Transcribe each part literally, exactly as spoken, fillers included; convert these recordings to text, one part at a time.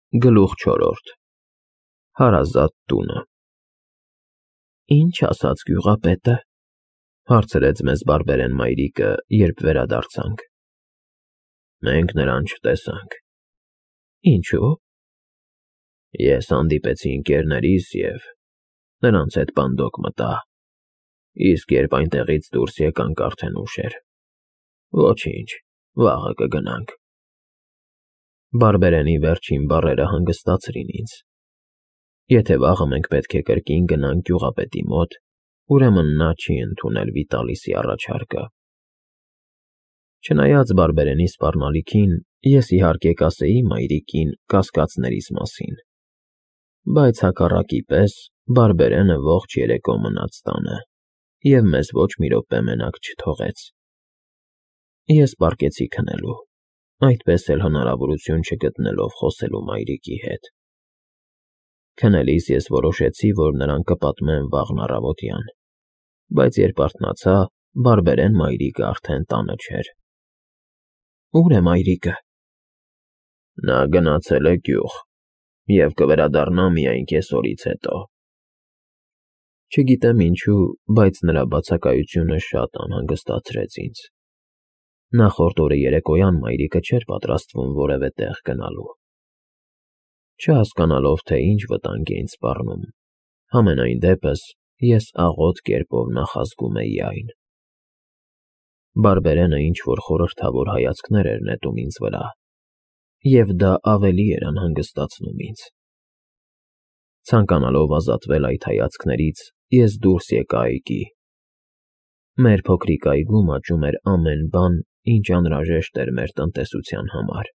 Գլուխ չորրորդ Հարազատ տունը Ինչ ասաց գյուղապետը, հարցրեց մեզ բարբերեն մայրիկը, երբ վերադարձանք։ Մենք նրան չտեսանք։ Ինչո՞ւ։ Ես հանդիպեցի ընկերներիս և նրանց հետ բանդոկ մտա, իսկ երբ այնտեղից դուրս եկանք, արդեն ուշ էր։ Ոչինչ, վաղը կգնանք։ Բարբերենի վերջին բառերը հանգստացրին ինձ։ Եթե վաղը մենք պետք է կրկին գնանք գյուղապետի մոտ, ուրեմն նա չի ընդունել Վիտալիսի առաջարկը։ Չնայած բարբերենի սպառնալիքին, ես իհարկե կասեի մայրիկին կասկածներիս մասին, բայց հակառակի պես բարբերենը ողջ երեկո մնաց տանը և մեզ ոչ մի րոպե մենակ չթողեց։ Ես պառկեցի քնելու, այդպես էլ հնարավորություն չգտնելով խոսելու մայրիկի հետ։ Քնելիս ես որոշեցի, որ նրան կպատմեմ վաղն առավոտյան, բայց երբ արթնացա, բարբերեն մայրիկը արդեն տանը չէր։ Ո՞ւր է մայրիկը։ Նա գնացել է գյուղ և կվերադառնա միայն կեսօրից հետո։ Չգիտեմ ինչու, բայց նրա բացակայությունը շատ անհանգստացրեց ինձ։ Նախորդ օրը երեկոյան մայրիկը չէր պատրաստվում որևէ տեղ գնալու։ Չհասկանալով, թե ինչ վտանգ է ինձ սպառնում, համենայն դեպս ես աղոտ կերպով նախազգում էի այն։ Բարբերենը ինչ-որ խորհրդավոր հայացքներ էր նետում ինձ վրա, և դա ավելի էր անհանգստացնում ինձ։ Ցանկանալով ազատվել այդ հայացքներից, ես դուրս եկա այգի։ Մեր փոքրիկ այգում աճում էր ամեն բան, ինչ անհրաժեշտ էր մեր տնտեսության համար.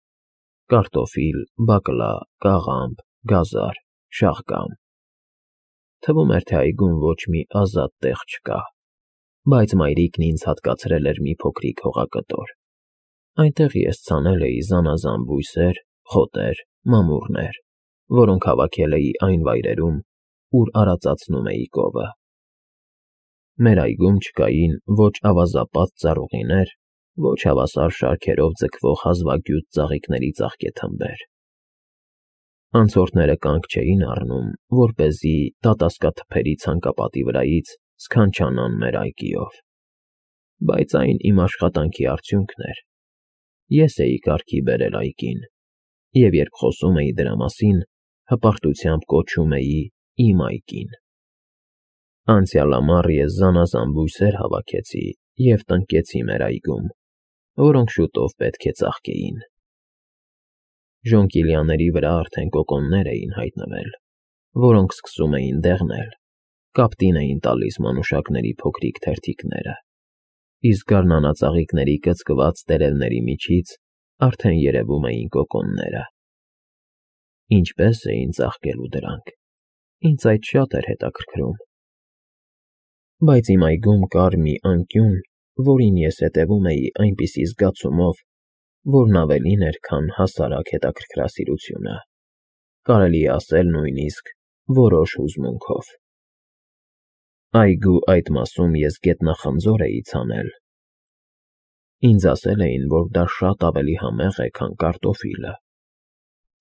կարտոֆիլ, բակլա, կաղամբ, գազար, շաղգամ։ Թվում էր, թե այգում ոչ մի ազատ տեղ չկա, բայց մայրիկն ինձ հատկացրել էր մի փոքրիկ հողակտոր։ Այնտեղ ես ցանել էի զանազան բույսեր, խոտեր, մամուռներ, որոնք հավաքել էի այն վայրերում, ուր արածացնում էի կովը։ Մեր այգում չկային ոչ ավազապատ ծառուղիներ, ոչ հավասար շարքերով ձգվող հազվագյուտ ծաղիկների ծաղկեթմբեր։ Անցորդները կանգ չէին առնում, որպեսզի տատասկաթփերի ցանկապատի վրայից սքանչանան մեր այգիով։ Բայց այն իմ աշխատանքի արդյունքն էր։ Ես էի կարգի բերել այգին, և երբ խոսում էի դրա մասին, հպարտությամբ կոչում էի իմ այգին։ Անցյալ ամառ ես զանազան բույսեր հավաքեցի և տնկեցի մեր այգում, որոնք շուտով պետք է ծաղկեին։ Ժոնկիլյաների վրա արդեն կոկոններ էին հայտնվել, որոնք սկսում էին դեղնել, կապտին էին տալիս մանուշակների փոքրիկ թերթիկները, իսկ գարնանածաղիկների կծկված տերևների միջից արդեն երևում էին կոկոնները։ Ինչպե՞ս էին ծաղկելու դրանք, ինձ այդ շատ էր հետաքրքրում։ Բայց իմ այգում կար մի անկյուն, որին ես հետևում էի այնպիսի զգացումով, որն ավելին էր, քան հասարակ հետաքրքրասիրությունը, կարելի է ասել նույնիսկ որոշ հուզմունքով։ Այգու այդ մասում ես գետնախնձոր էի ցանել։ Ինձ ասել էին, որ դա շատ ավելի համեղ է, քան կարտոֆիլը։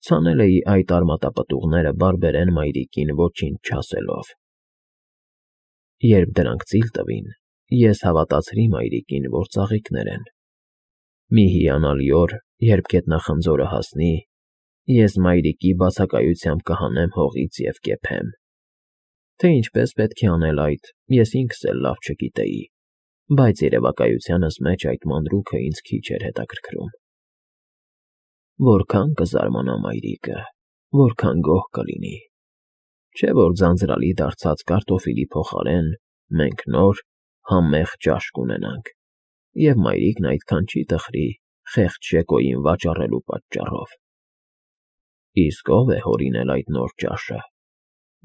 Ցանել էի այդ արմատապտուղները բարբերեն մայրիկին ոչինչ չասելով։ Երբ դրանք ծիլ տվին, ես հավատացրի մայրիկին, որ ծաղիկներ են։ Մի հիանալի օր, երբ գետնախնձորը հասնի, ես մայրիկի բացակայությամբ կհանեմ հողից և կեփեմ։ Թե ինչպես պետք է անել այդ, ես ինքս էլ լավ չգիտեի, բայց երևակայությանս մեջ այդ մանրուքը ինձ քիչ էր հետաքրքրում։ Որքան կզարմանա մայրիկը, որքան գոհ կլինի, չէ՞ որ ձանձրալի դարձած կարտոֆիլի փոխարեն մենք նոր, համեղ ճաշ կունենանք, և մայրիկն այդքան չի տխրի խեղճ Ժեկոյին վաճառելու պատճառով։ Իսկ ո՞վ է հորինել այդ նոր ճաշը։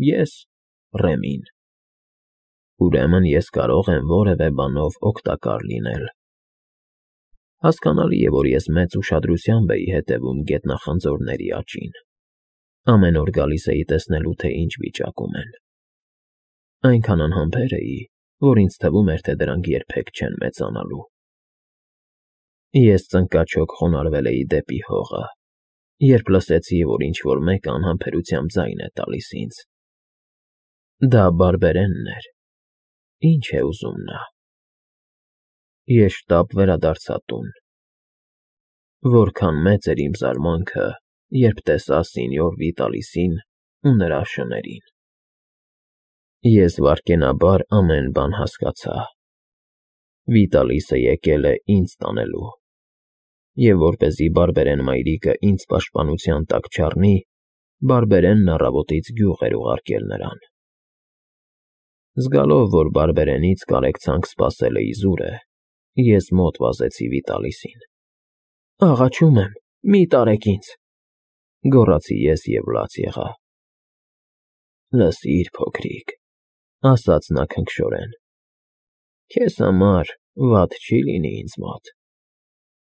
Ես, Ռեմին։ Ուրեմն ես կարող եմ որևէ բանով օգտակար լինել։ Հասկանալի է, որ ես մեծ ուշադրությամբ էի հետևում գետնախնձորների աճին։ Ամեն օր գալիս էի տեսնելու, թե ինչ վիճակում են։ Այնքան անհամբեր էի, որ ինձ թվում էր, թե դրանք երբեք չեն մեծանալու։ Ես ծնկաչոք խոնարհվել էի դեպի հողը, երբ լսեցի, որ ինչ-որ մեկը անհամբերությամբ ձայն է տալիս ինձ։ Դա բարբերենն էր։ Ինչ է ուզում նա։ Ես շտապ վերադարձա տուն։ Որքան մեծ էր իմ զարմանքը, երբ տեսա սենյոր Վիտալիսին ու նրա շներին։ Ես վայրկենաբար ամեն բան հասկացա։ Վիտալիսը եկել է ինձ տանելու։ Եվ որպեսզի բարբերեն մայրիկը ինձ պաշտպանության տակ չառնի, բարբերենն առավոտից գյուղ էր ուղարկել նրան։ Զգալով, որ բարբերենից կարեկցանք սպասել է իզուրը, ես մոտ վազեցի Վիտալիսին։ Աղաչում եմ, մի տարեք ինձ, գոռացի ես և լաց եղա։ Լսիր, փոքրիկ, ասաց նա քնքշորեն, քեզ համար վատ չի լինի ինձ մոտ։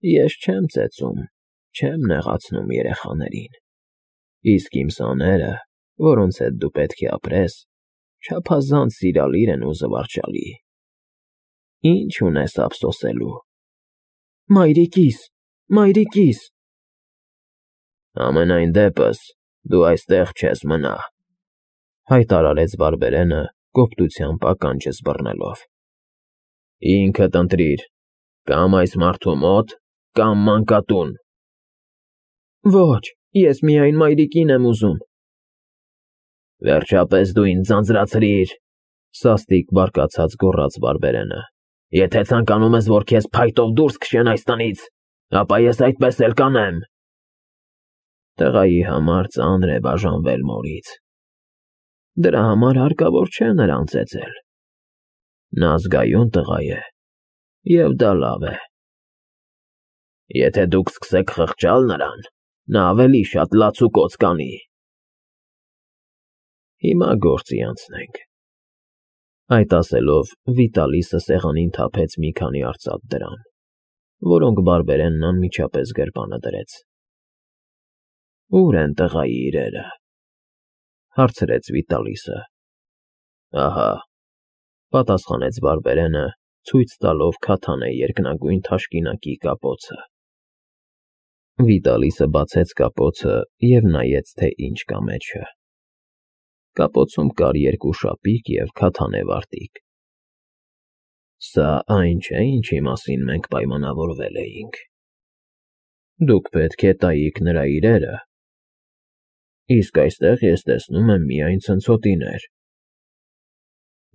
Ես չեմ ծեծում, չեմ նեղացնում երեխաներին, իսկ իմ սաները, որոնց հետ դու պետք է ապրես, չափազանց սիրալիր են ու զվարճալի։ Ինչ ունես ափսոսելու։ Մայրիկիս, մայրիկիս։ Ամենայն դեպս դու այստեղ չես մնա, հայտարարեց բարբերենը կոպտությամբ ականջս բռնելով։ Ինքդ ընտրիր, կամ այս մարդու մոտ, կամ մանկատուն։ Ոչ, ես միայն մայրիկին եմ ուզում։ Վերջապես դու ինձ ձանձրացրիր, սաստիկ բարկացած գոռաց բարբերենը։ Եթե ցանկանում ես, որ քեզ փայտով դուրս քշեն այս տնից, ապա ես այդպես էլ կանեմ։ Տղայի համար ծանր է բաժանվել մորից։ Դրա համար հարկավոր չէ նրան ծեծել։ Նա զգայուն տղա է, և դա լավ է։ Եթե դուք սկսեք խղճալ նրան, նա ավելի շատ լացուկոծ կանի։ Հիմա գործի անցնենք։ Այդ ասելով Վիտալիսը սեղանին թափեց մի քանի արծաթ դրամ, որոնք բարբերենն անմիջապես գրպանը դրեց։ Ո՞ւր են տղայի իրերը, հարցրեց Վիտալիսը։ Ահա, պատասխանեց բարբերենը, ցույց տալով քաթանե երկնագույն թաշկինակի կապոցը։ Վիտալիսը բացեց կապոցը և նայեց, թե ինչ կա մեջը։ Կապոցում կար երկու շապիկ և քաթանե վարտիք։ Սա այն չէ, ինչի մասին մենք պայմանավորվել էինք։ Դուք պետք է տայիք նրա իրերը, իսկ այստեղ ես տեսնում եմ միայն ցնցոտիներ։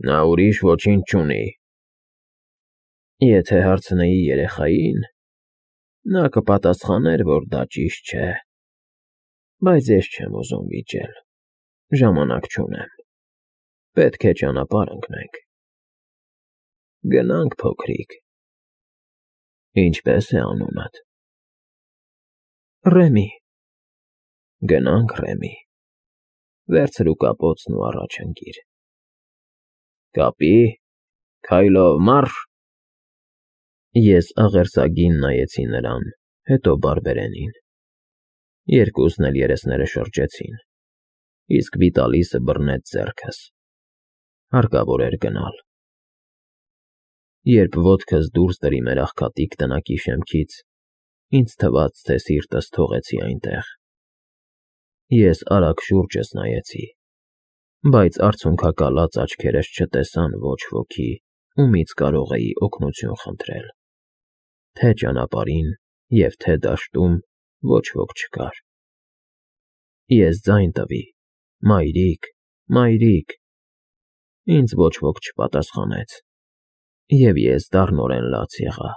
Նա ուրիշ ոչինչ չունի։ Եթե հարցնեի երեխային, նա կպատասխաներ, որ դա ճիշտ չէ, բայց ես չեմ ուզում վիճել, ժամանակ չունեմ, պետք է ճանապարհ ընկնենք։ Գնանք, փոքրիկ։ Ինչպե՞ս է անունդ։ Ռեմի։ Գնանք, Ռեմի, վերցրու կապոցն ու առաջ ընկիր։ Կապի, քայլով մարշ։ Ես աղերսագին նայեցի նրան, հետո բարբերենին։ Երկուսն էլ երեսները շրջեցին, իսկ Վիտալիսը բռնեց ձեռքս։ Հարկավոր էր գնալ։ Երբ ոտքս դուրս դրի մեր աղքատիկ տնակի շեմքից, ինձ թվաց, թե սիրտս թողեցի այնտեղ։ Ես արագ շուրջս նայեցի, բայց արցունքակալած աչքերս չտեսան ոչ ոքի, ումից կարող էի օգնություն խնդրել։ Թե ճանապարհին և թե դաշտում ոչ ոք չկար։ Ես ձայն տվի. մայրիկ, մայրիկ։ Ինձ ոչ ոք չպատասխանեց, և ես դառնորեն լաց եղա։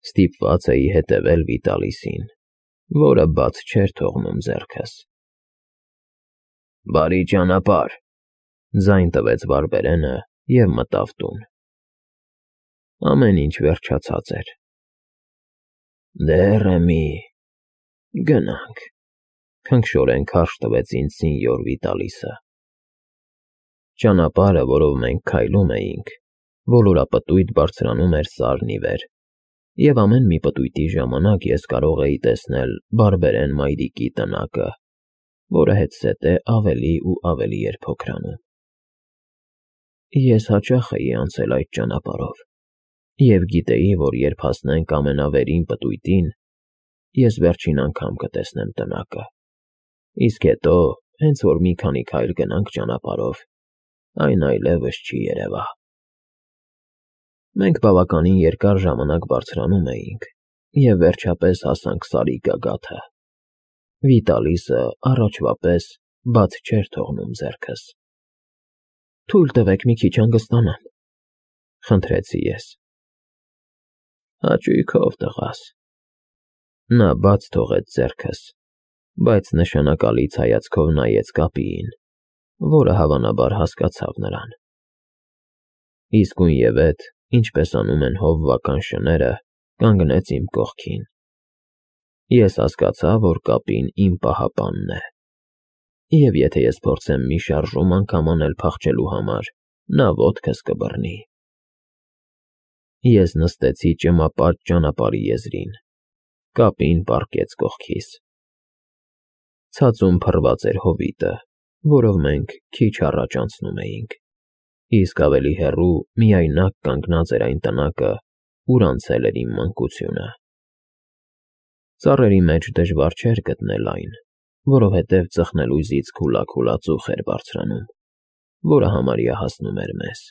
Ստիպված էի հետևել Վիտալիսին, որը բաց չէր թողնում ձեռքս։ Բարի ճանապարհ, ձայն տվեց բարբերենը և մտավ տուն։ Ամեն ինչ վերջացած էր։ Դե, Ռեմի, գնանք, քնքշորեն քարշ տվեց ինձ սենյոր Վիտալիսը։ Ճանապարհը, որով մենք քայլում էինք, ոլորապտույտ բարձրանում էր սարն ի վեր, և ամեն մի պտույտի ժամանակ ես կարող էի տեսնել բարբերեն մայրիկի տնակը, որը հետզհետե ավելի ու ավելի էր փոքրանում։ Ես հաճախ էի անցել այդ ճանապարհով և գիտեի, որ երբ հասնենք ամենավերին պտույտին, ես վերջին անգամ կտեսնեմ տնակը, իսկ հետո, հենց որ մի քանի քայլ գնանք ճանապարհով, այն այլևս չի երևա։ Մենք բավականին երկար ժամանակ բարձրանում էինք և վերջապես հասանք Սարի գագաթը։ Վիտալիսը առաջվա պես բաց չէր թողնում ձեռքս։ «Թույլ տվեք մի քիչ հանգստանամ», խնդրեցի ես։ «Հաճույքով, տղաս»։ Նա բաց թողեց ձեռքս, բայց նշանակալից հայացքով նայեց կապիին, որը հավանաբար հասկացավ նրան։ Իսկույնևեթ, ինչպես անում են հովվական շները, կանգնեց իմ կողքին։ Ես հասկացա, որ կապին իմ պահապանն է, և եթե ես փորձեմ մի շարժում անգամ անել փախչելու համար, նա ոտքս կբռնի։ Ես նստեցի ճմապատ ճանապարհի եզրին, կապին պառկեց կողքիս։ Ցածում փռված էր հովիտը, որով մենք քիչ առաջ անցնում էինք, իսկ ավելի հեռու միայնակ կանգնած էր այն տնակը, ուր անցել էր իմ մանկությունը։ Ծառերի մեջ դժվար չէր գտնել այն, որովհետև ծխնելույզից քուլաքուլա ծուխ էր բարձրանում, որը համարյա հասնում էր մեզ։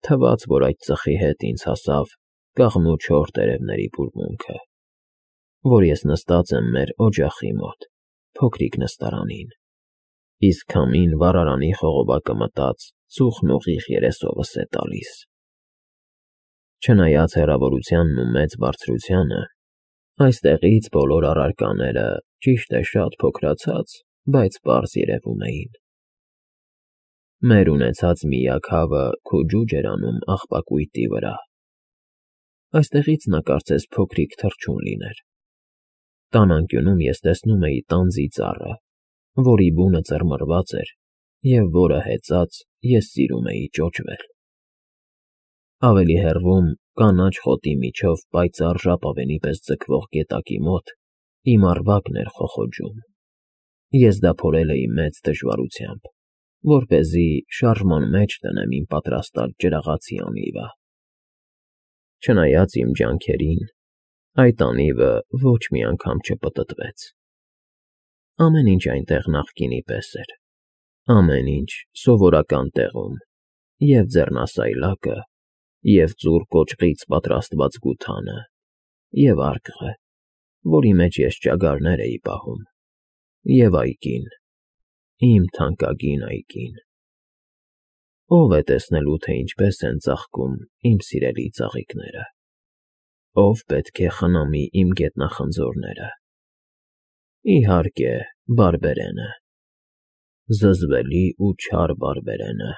Թվաց, որ այդ ծխի հետ ինձ հասավ կաղնու չոր տերևների բուրմունքը, որ ես նստած եմ մեր օջախի մոտ, փոքրիկ նստարանին, իսկ քամին վառարանի խողովակը մտած ծուխն ուղիղ երեսովս է տալիս։ Չնայած հեռավորությանն ու մեծ բարձրությանը, այստեղից բոլոր առարկաները, ճիշտ է, շատ փոքրացած, բայց պարզ երևում էին։ Մեր ունեցած միակ հավը քո ջուջ էր անում աղբակույտի վրա։ Այստեղից նա կարծես փոքրիկ թռչուն լիներ։ Տան անկյունում ես տեսնում էի տանձի ծառը, որի բունը ծռմռված էր և որը հեծած ես սիրում էի ճոճվել։ Ավելի հեռվում, կանաչ խոտի միջով պայծառ ժապավենի պես ձգվող գետակի մոտ իմ առվակն էր խոխոջում։ Ես դա փորել էի մեծ դժվարությամբ, որպեսզի շարժման մեջ տնեմ իմ պատրաստած ջրաղացի անիվը։ Չնայած իմ ջանքերին, այդ անիվը ոչ մի անգամ չպտտվեց։ Ամեն ինչ այնտեղ նախկինի պես էր, ամեն ինչ սովորական տեղում, և ձեռնասայլակը, և ծուռ կոճղից պատրաստված գութանը, և արկղը, որի մեջ ես ճագարներ էի պահում, և այգին, իմ թանկագին այգին։ Ո՞վ է տեսնելու, թե ինչպես են ծաղկում իմ սիրելի ծաղիկները, ո՞վ պետք է խնամի իմ գետնախնձորները։ Իհարկե, բարբերենը, զզվելի ու չար բարբերենը։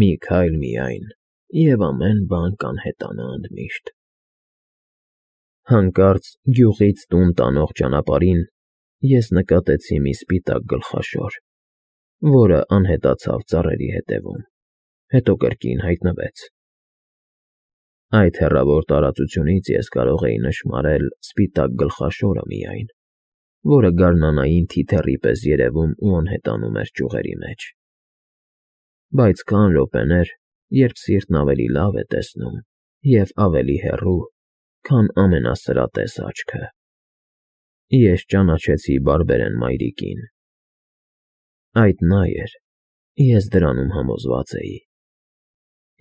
Մի քայլ միայն, և ամեն բան կանհետանա ընդմիշտ։ Հանկարծ գյուղից տուն տանող ճանապարհին ես նկատեցի մի սպիտակ գլխաշոր, որը անհետացավ ծառերի ետևում, հետո կրկին հայտնվեց։ Այդ հեռավոր տարածությունից ես կարող էի նշմարել սպիտակ գլխաշորը միայն, որը գարնանային թիթեռի պես երևում ու անհետանում էր ճյուղերի մեջ։ Բայց կան րոպեներ, երբ սիրտն ավելի լավ է տեսնում և ավելի հեռու, քան ամենասրատես աչքը։ Ես ճանաչեցի բարբերեն մայրիկին։ Այդ նա էր, ես դրանում համոզված էի։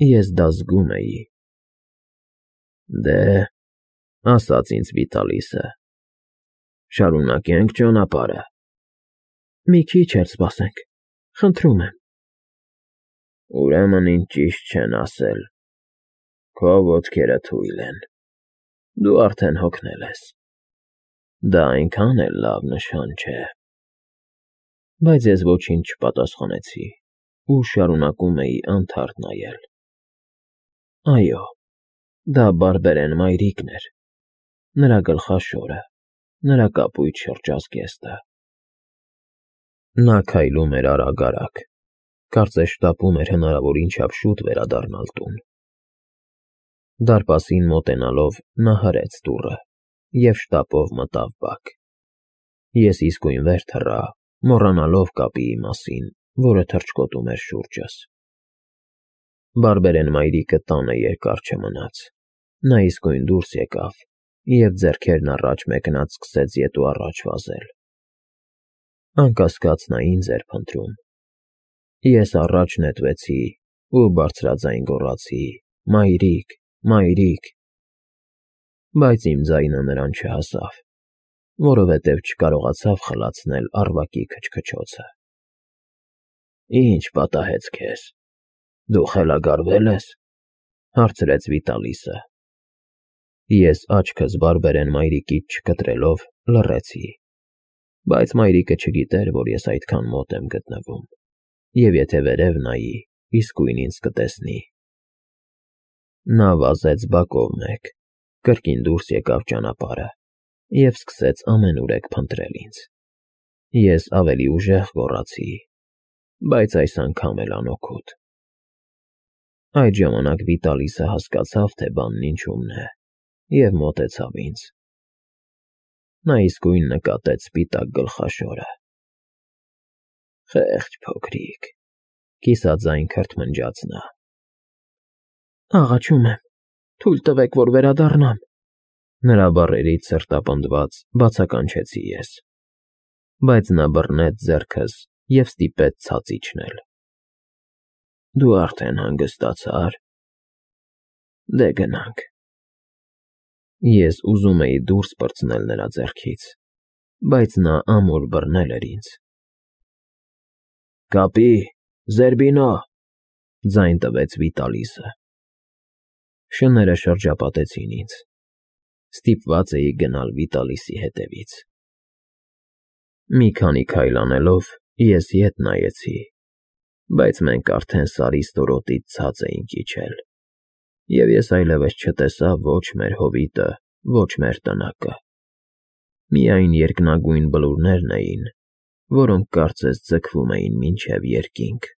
Ես դա զգում էի։ Դե՞, ասաց ինձ Վիտալիսը, շարունակե՞նք ճանապարհը։ Մի քիչ էլ սպասենք, խնդրում եմ։ Ուրեմն ինձ ճիշտ չեն ասել, քո ոտքերը թույլ են, դու արդեն հոգնել ես, դա այնքան էլ լավ նշան չէ։ Բայց ես ոչինչ չպատասխանեցի ու շարունակում էի անթարթ նայել։ Այո, դա բարբերեն մայրիկն էր, նրա գլխաշորը, նրա կապույտ շրջազգեստը։ Նա քայլում էր արագ֊արագ, կարծես շտապում էր հնարավորին չափ շուտ վերադառնալ տուն։ Դարպասին մոտենալով նա հրեց դուռը և շտապով մտավ բակ։ Ես իսկույն վեր թռա, մոռանալով կապիի մասին, որը թռչկոտում էր շուրջս։ Բարբերեն մայրիկը տանը երկար չմնաց, նա իսկույն դուրս եկավ և ձեռքերն առաջ մեկնած սկսեց ետ ու առաջ վազել։ Անկասկած նա ինձ էր փնտրում։ Ես առաջ նետվեցի ու բարձրաձայն գոռացի. «Մայրիկ, մայրիկ», բայց իմ ձայնը նրան չհասավ, որովհետև չկարողացավ խլացնել առվակի քչքչոցը։ «Ի՞նչ պատահեց քեզ, դու խելագարվե՞լ ես,֊ հարցրեց Վիտալիսը։ Ես աչքս բարբերեն մայրիկից չկտրելով լռեցի, բայց մայրիկը չգիտեր, որ ես այդքան մոտ եմ գտնվում, և եթե վերև նայի, իսկույն ինձ կտեսնի։ Նա վազեց բակով մեկ, կրկին դուրս եկավ ճանապարհը և սկսեց ամենուրեք փնտրել ինձ։ Ես ավելի ուժեղ գոռացի, բայց այս անգամ էլ անօգուտ։ Այդ ժամանակ Վիտալիսը հասկացավ, թե բանն ինչումն է, և մոտեցավ ինձ։ Նա իսկույն նկատեց սպիտակ գլխաշորը։ «Խեղճ փոքրիկ,֊ կիսաձայն քրթմնջաց նա։ «Աղաչում եմ, թույլ տվեք, որ վերադառնամ,֊ նրա բառերից սրտապնդված բացականչեցի ես, բայց նա բռնեց ձեռքս և ստիպեց ցած իջնել։ Դու արդեն հանգստացա՞ր։ Դե գնանք»։ Ես ուզում էի դուրս պրծնել նրա ձեռքից, բայց նա ամուր բռնել էր ինձ։ «Կապի՛, Զերբինո!֊ ձայն տվեց Վիտալիսը։ Շները շրջապատեցին ինձ։ Ստիպված էի գնալ Վիտալիսի հետևից։ Մի քանի քայլ անելով ես ետ նայեցի, բայց մենք արդեն Սարի ստորոտից ցած էինք իջել, և ես այլևս չտեսա ոչ մեր հովիտը, ոչ մեր տնակը։ Միայն երկնագույն բլուրներն էին, որոնք կարծես ձգվում էին մինչև երկինք։